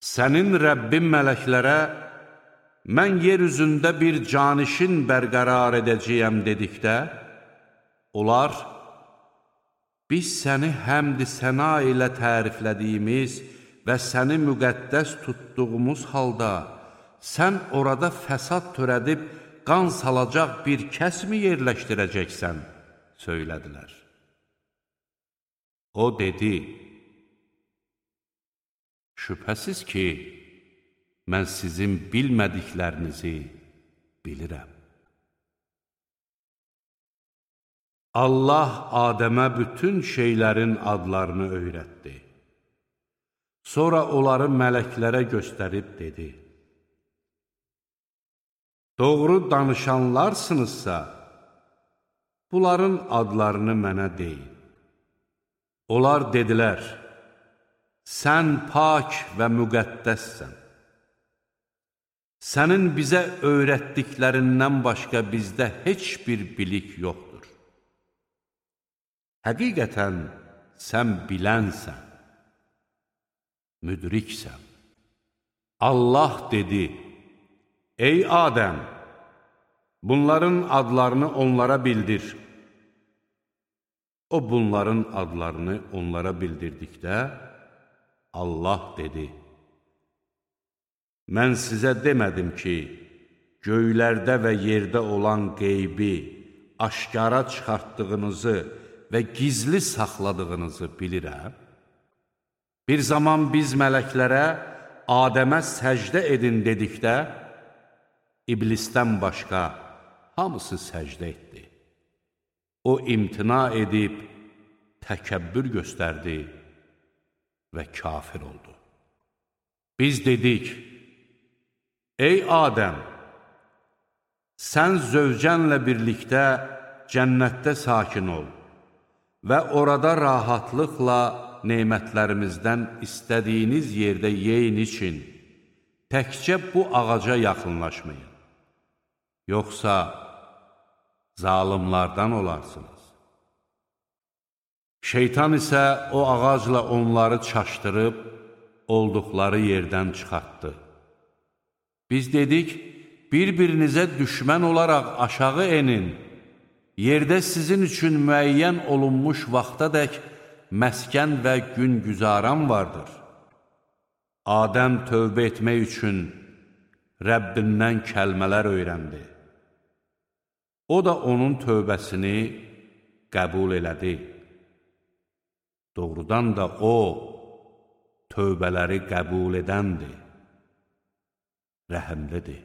Sənin Rəbbin mələklərə, mən yer üzündə bir canişin bərqərar edəcəyəm dedikdə, onlar, biz səni həmd-i səna ilə təriflədiyimiz və səni müqəddəs tutduğumuz halda, sən orada fəsad törədib, qan salacaq bir kəsmi yerləşdirəcəksən, söylədilər. O dedi, şübhəsiz ki, mən sizin bilmədiklərinizi bilirəm. Allah Adəmə bütün şeylərin adlarını öyrətdi. Sonra onları mələklərə göstərib dedi, doğru danışanlarsınızsa, bunların adlarını mənə deyin. Onlar dedilər, sən pak və müqəddəssən. Sənin bizə öyrətdiklərindən başqa bizdə heç bir bilik yoxdur. Həqiqətən sən bilənsən, müdriksən. Allah dedi, ey Adəm, bunların adlarını onlara bildir. O bunların adlarını onlara bildirdikdə, Allah dedi, mən sizə demədim ki, göylərdə və yerdə olan qeybi aşkara çıxartdığınızı və gizli saxladığınızı bilirəm. Bir zaman biz mələklərə Adəmə səcdə edin dedikdə, İblisdən başqa hamısı səcdə etdi. O imtina edib, təkəbbür göstərdi və kafir oldu. Biz dedik, ey Adəm, sən zövcənlə birlikdə cənnətdə sakin ol və orada rahatlıqla nemətlərimizdən istədiyiniz yerdə yeyin için, təkcə bu ağaca yaxınlaşmayın. Yoxsa zalimlardan olarsınız. Şeytan isə o ağacla onları çaşdırıb, olduqları yerdən çıxartdı. Biz dedik, bir-birinizə düşmən olaraq aşağı enin, yerdə sizin üçün müəyyən olunmuş vaxtadək məskən və gün güzaran vardır. Adəm tövbə etmək üçün Rəbbindən kəlmələr öyrəndi. O da onun tövbəsini qəbul elədi. Doğrudan da o, tövbələri qəbul edəndir, rəhəmlidir.